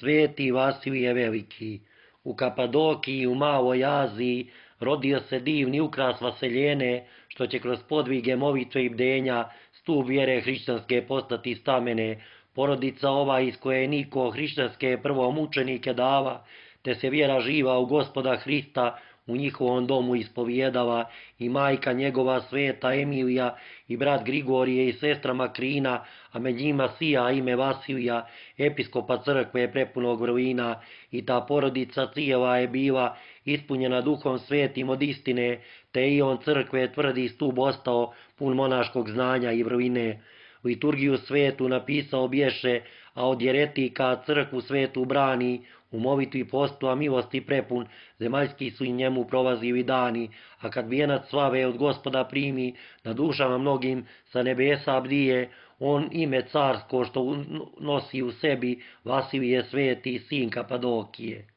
Sveti Vasilije Veliki. U Kapadokiji, u Maloj Aziji, rodio se divni ukras Vaseljene, što će kroz podvige molitve i bdenja stup vjere hrišćanske postati stamene. Porodica ova iz koje je Niko hrišćanske prvo mučenike dava, te se vjera živa u Gospoda Hrista u njihovom domu ispovijedava, i majka njegova sveta Emilija i brat Grigorije i sestra Makrina, a med njima sija ime Vasilija, episkopa crkve prepunog vrlina, i ta porodica cijela je bila ispunjena duhom svetim od istine, te i on crkve tvrdi stup ostao pun monaškog znanja i vrline. Liturgiju svetu napisao bješe, a od jeretika crkvu svetu brani, u molitvi postu, a milosti prepun, zemaljski su i njemu prolazili dani, a kad vijenac slave od Gospoda primi, na dušama mnogim sa nebesa bdije, on ime carsko što nosi u sebi, Vasilije sveti, sin Kapadokije.